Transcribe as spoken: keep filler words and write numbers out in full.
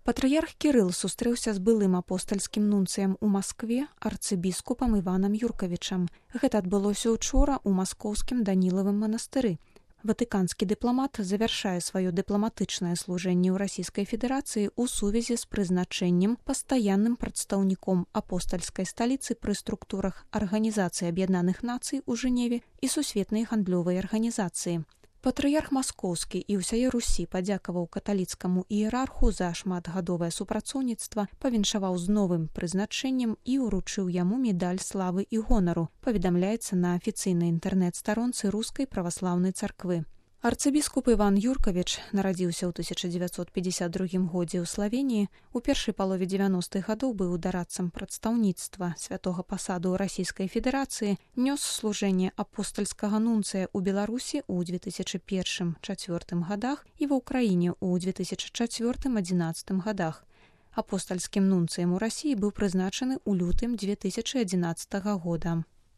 Патрыярх Кірыл сустрэўся з былым апостальскім нунцыем у Маскве арцыбіскупам Іванам Юркавічам. Гэта адбылося учора ў маскоўскім Данілавым манастыры. Ватыканскі дыпламат завяршае сваё дыпламатычнае служэнне ў Расійскай Федэрацыі ў сувязі з прызначэннем пастаянным прадстаўніком апостальскай сталіцы пры структурах Арганізацыі Аб'яднаных Нацый у Жэневе і Сусветнай гандлёвай арганізацыі. Патрыярх Маскоўскі і ўсяе Русі падзякаваў каталіцкаму іерарху за шматгадовае супрацоўніцтва, павіншаваў з новым прызначэннем і ўручыў яму медаль славы і гонару, паведамляецца на афіцыйнай інтэрнэт-старонцы Рускай праваслаўнай царквы. Арцыбіскуп Іван Юркавіч нарадзіўся ў тысяча дзевяцьсот пятьдесят другім годзе ў Славеніі, у першай палове дзевяностых гадоў быў дарадцам прадстаўніцтва святога пасаду ў Расійскай Федэрацыі, нёс служэнне апостальскага нунцыя ў Беларусі ў две тысячы першым - чацвёртым гадах і ва ўкраіне ў две тысячы чацвёртым - адзінаццатым гадах. Апостальскім нунцыем у Расіі быў прызначаны ў лютым две тысячы адзінаццатага года.